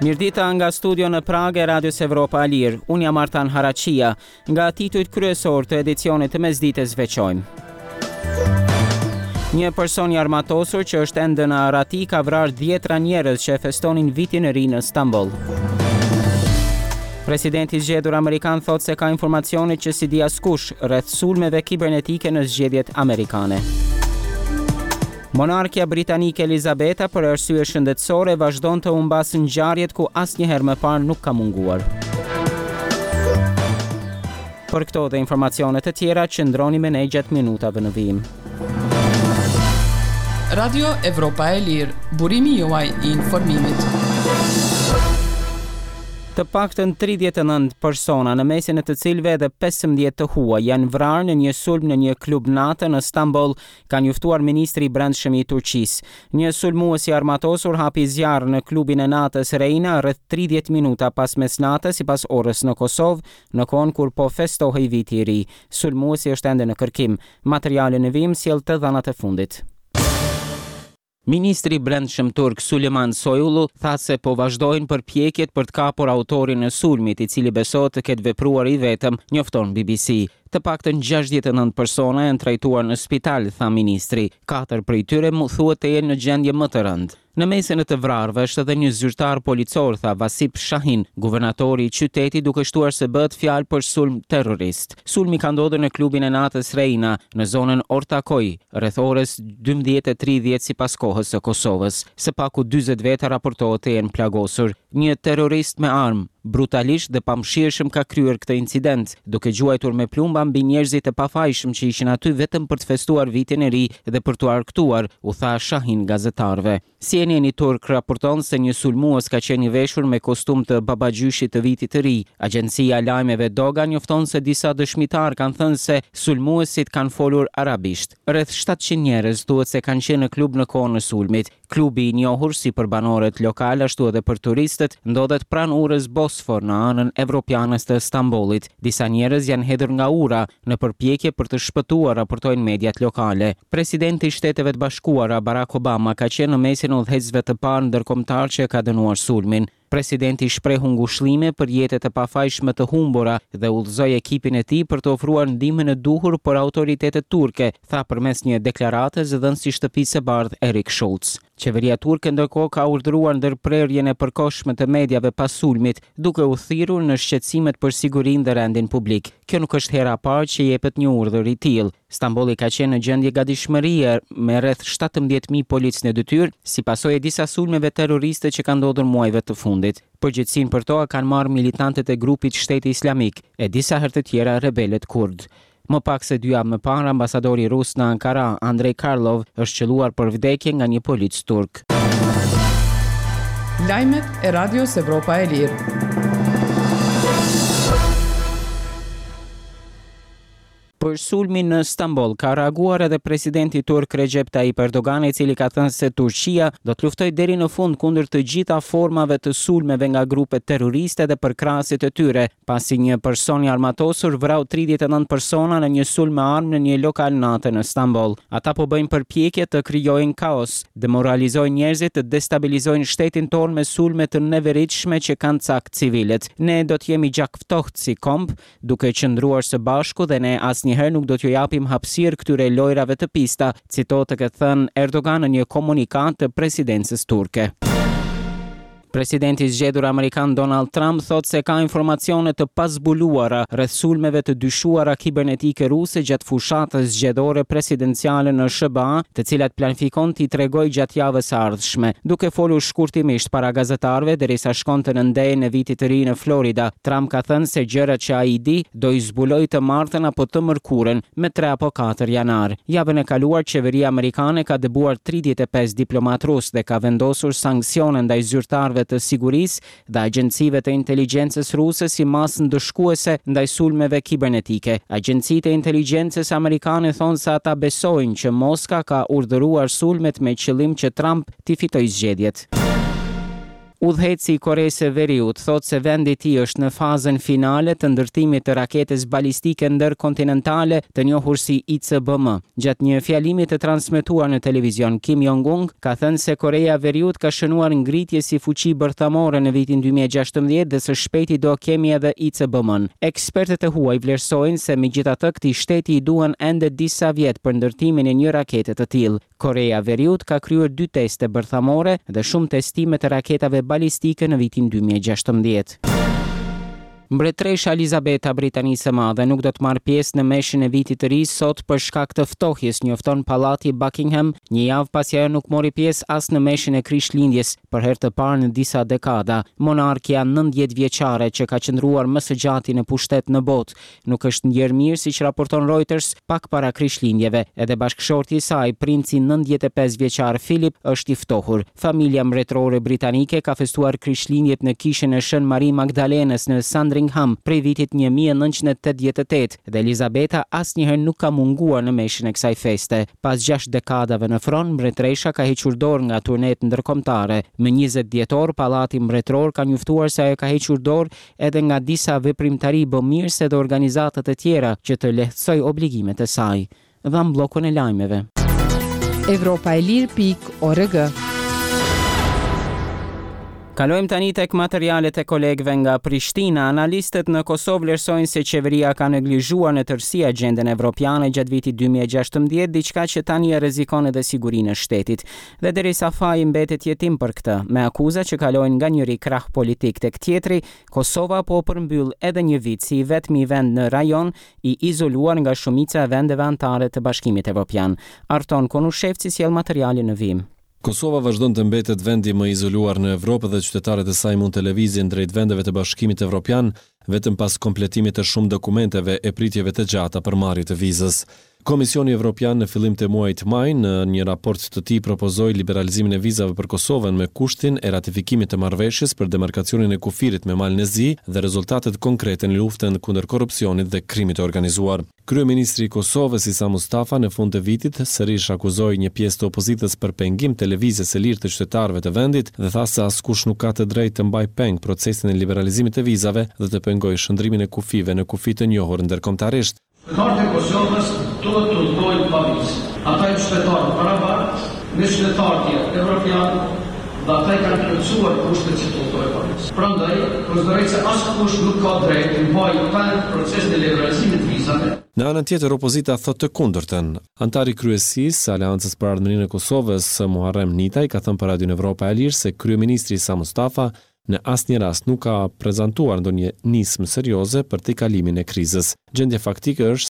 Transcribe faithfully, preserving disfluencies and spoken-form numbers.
Mirëdita nga studio në Pragë e Radios Evropa e Lirë. Unë jam Artan Haraqia. Nga titujt kryesor të edicionit të mesditës veçojmë. Një person i armatosur që është ende në arrati ka vrarë dhjetra njerëz që e festonin vitin e ri në Stamboll. Presidenti i zgjedhur amerikan thotë se ka informacione që s'i di askush rreth sulmeve kibernetike në zgjedhjet amerikane. Monarkja britanike Elizabeta për arsye shëndetësore vazhdon të humbasë ngjarjet ku asnjëherë më parë nuk ka munguar. Për këto dhe informacione të tjera, qëndroni me ne gjatë minutave në vijim. Radio Evropa e Lirë, burimi juaj i informimit. Të paktën tridhjetë e nëntë persona, në mesin e të cilëve edhe pesëmbëdhjetë të huaj, janë vrarë në një sulm në një klub nate në Stamboll, ka njoftuar ministri i Brendshëm i Turqisë. Një sulmues i armatosur hapi zjarr në klubin e natës Reina rreth tridhjetë minuta pas mesnate sipas orës në Kosovë, në kohën kur po festohej viti i ri. Sulmuesi është ende në kërkim. Materiali në vijim sjell të dhënat e fundit. Ministri i Brendshëm turk Suleyman Soylu tha se po vazhdojnë përpjekjet për të kapur autorin e sulmit, i cili besohet të ketë vepruar i vetëm, njofton B B C. Të paktën gjashtëdhjetë e nëntë persona janë trajtuar në spital, tha ministri. Katër prej tyre mu thuhet të jenë në gjendje më të rëndë. Në mesin e të vrarëve është edhe një zyrtar policor, tha Vasip Shahin, guvernatori i qytetit, duke shtuar se bëhet fjalë për sulm terrorist. Sulmi ka ndodhur në klubin e natës Reina, në zonën Ortakoj, rreth orës dymbëdhjetë e tridhjetë sipas kohës së Kosovës. Së paku dyzet veta raportohet të jenë plagosur. Një terrorist me armë, brutalisht dhe pamëshirshëm ka kryer këtë incident, duke gjuajtur me plumba mbi njerëzit e pafajshëm që ishin aty vetëm për të festuar vitin e ri dhe për t'u argëtuar, u tha Shahin gazetarëve. C N N-i turk raporton se një sulmues ka qenë i veshur me kostum të babagjyshit të vitit të ri. Agjencia e lajmeve Doga njofton se disa dëshmitar kanë thënë se sulmuesit kanë folur arabisht. Rreth shtatëqind njerëz thuhet se kanë qenë në klub në kohën e sulmit. Klubi i njohur si për banorët lokal ashtu edhe për turistët ndodhet pranë urës Bosfor në anën evropiane të Stambollit. Disa njerëz janë hedhur nga ura në përpjekje për të shpëtuar, raportojnë mediat lokale. Presidenti i Shteteve të Bashkuara Barack Obama ka qenë në mesin e udhëheqësve të parë ndërkombëtar që ka dënuar sulmin. Presidenti shprehu ngushëllime për jetët e pafajshme të humbura dhe udhëzoi ekipin e tij për të ofruar ndihmën e duhur për autoritetet turke, tha përmes një deklarate zëdhënësi i Shtëpisë së Bardhë Eric Schultz. Qeveria turke ndërkohë ka urdhëruar ndërprerjen e përkohshme të mediave pas sulmit, duke u thirrur në shqetësimet për sigurinë dhe rendin publik. Kjo nuk është hera e parë që jepet një urdhër i tillë. Stambolli ka qenë në gjendje gatishmërie me rreth shtatëmbëdhjetë mijë policë në detyrë, si pasojë e disa sulmeve terroriste që kanë ndodhur muajve të fundit. Përgjegjësinë për to kanë marrë militantët e grupit Shteti Islamik e disa herë të tjera rebelët kurd. Më pak se dy javë më parë, ambasadori rus në Ankara, Andrei Karlov, është qëlluar për vdekje nga një polic turk. Lajmet e Radios Evropa e Lirë. Për sulmin në Stamboll ka reaguar edhe presidenti turk Recep Tayyip Erdogan, i cili ka thënë se Turqia do të luftojë deri në fund kundër të gjitha formave të sulmeve nga grupet terroriste dhe përkrahësit e tyre, pasi një person i armatosur vrau tridhjetë e nëntë persona në një sulm me armë në një lokal nate në Stamboll. Ata po bëjnë përpjekje të krijojnë kaos, demoralizojnë njerëzit, të destabilizojnë shtetin tonë me sulme të neveritshme që kanë cak civilët. Ne do të jemi gjakftohtë si komb, duke qëndruar së bashku dhe ne asnjëherë nuk do t'ju japim hapësirë këtyre lojrave të pista, citohet të ketë thënë Erdogan në një komunikatë të presidencës turke. Presidenti i zgjedhur amerikan Donald Trump thotë se ka informacione të pazbuluara rreth sulmeve të dyshuara kibernetike ruse gjatë fushatës zgjedhore presidenciale në S H B A, të cilat planifikon t'i tregojë gjatë javës së ardhshme. Duke folur shkurtimisht para gazetarëve derisa shkonte në ndejën e vitit të ri në Florida, Trump ka thënë se gjërat që ai di do i zbulojë të martën apo të mërkurën, me tre apo katër janar. Javën e kaluar qeveria amerikane ka dëbuar tridhjetë e pesë diplomat rus dhe ka vendosur sanksione ndaj zyrtarëve të sigurisë dhe agjencive të inteligjencës ruse si masë ndëshkuese ndaj sulmeve kibernetike. Agjencitë e inteligjencës amerikane thonë se ata besojnë që Moska ka urdhëruar sulmet me qëllim që Trump t'i fitojë zgjedhjet. Udhëheqësi i Koresë së Veriut thotë se vendi i tij është në fazën finale të ndërtimit të raketës balistike ndërkontinentale të njohur si I C B M. Gjatë një fjalimi të transmetuar në televizion, Kim Jong-un ka thënë se Koreja e Veriut ka shënuar ngritje si fuqi bërthamore në vitin dy mijë e gjashtëmbëdhjetë dhe së shpejti do kemi edhe I C B M-n. Ekspertët e huaj vlerësojnë se megjithatë këtij shteti i duhen ende disa vjet për ndërtimin e një rakete të tillë. Koreja e Veriut ka kryer dy teste bërthamore dhe shumë testime të raketave balistike në vitin dy mijë e gjashtëmbëdhjetë. Mbretëresha Elizabeta Britanisë së Madhe nuk do të marrë pjesë në meshën e vitit të ri sot për shkak të ftohjes, njofton Pallati Buckingham, një javë pasi ajo nuk mori pjesë as në meshën e Krishtlindjes për herë të parë në disa dekada. Monarkia nëntëdhjetë vjeçare që ka qëndruar më së gjati në pushtet në botë, nuk është ndjerë mirë, siç raporton Reuters, pak para Krishtlindjeve. Edhe bashkëshorti i saj, princi nëntëdhjetë e pesë vjeçar Philip, është i ftohur. Familja mbretërore britanike ka festuar Krishtlindjet në kishën e Shën Marie Magdalenës në Sandringham prej vitit një mijë e nëntëqind e tetëdhjetë e tetë dhe Elizabeta asnjëherë nuk ka munguar në meshën e kësaj feste. Pas gjashtë dekadave në fron, mbretëresha ka hequr dorë nga turnet ndërkombëtare. Më njëzet dhjetor, Pallati Mbretëror ka njoftuar se ajo ka hequr dorë edhe nga disa veprimtari bëmirëse dhe organizata të tjera që të lehtësoj obligimet e saj. Dham bllokun e lajmeve. Evropa e lirë pikë org. Kalojmë tani tek materialet e kolegëve nga Prishtina. Analistët në Kosovë vlerësojnë se qeveria ka neglizhuar në tërësi agjendën evropiane gjatë vitit dy mijë e gjashtëmbëdhjetë, diçka që tani e rrezikon edhe sigurinë e shtetit. Dhe derisa faji mbetet jetim për këtë, me akuza që kalojnë nga njëri krah politik tek tjetri, Kosova po përmbyll edhe një vit si i vetmi vend në rajon i izoluar nga shumica e vendeve anëtare të Bashkimit Evropian. Arton Konushevci sjell materialin në vijim. Kosova vazhdon të mbetet vendi më i izoluar në Evropë dhe qytetarët e saj mund të lëvizin drejt vendeve të Bashkimit Evropian vetëm pas kompletimit të shumë dokumenteve e pritjeve të gjata për marrje të vizës. Komisioni Evropian në fillim të muajit maj në një raport të tij propozoi liberalizimin e vizave për Kosovën me kushtin e ratifikimit të marrëveshjes për demarkacionin e kufirit me Malin e Zi dhe rezultatet konkrete në luftën kundër korrupsionit dhe krimit të organizuar. Kryeministri i Kosovës Isa Mustafa në fund të vitit sërish akuzoi një pjesë të opozitës për pengim të lëvizjes së lirë të qytetarëve të vendit dhe tha se askush nuk ka të drejtë të mbajë peng procesin e liberalizimit të vizave dhe të pengojë shndërrimin e kufijve në kufi të njohur ndërkombëtarisht. Qytetarët e Kosovës duhet të udhëtojnë pa vizë. Ata janë qytetarë barabartë me qytetarët tjerë evropian dhe ata i kanë plotësuar kushtet që të udhëtojnë pa vizë. Prandaj, konsideroj se askush nuk ka drejtë të mbajë peng procesin e liberalizimit të vizave. Në anën tjetër, opozita thotë të kundërtën. Anëtari i kryesisë së Aleancës për Ardhmërinë e Kosovës, Muharrem Nitaj, ka thënë për Radion Evropa e Lirë se kryeministri Isa Mustafa në asnjë rast nuk ka prezantuar ndonjë nismë serioze për tejkalimin e krizës. Gjendja faktike është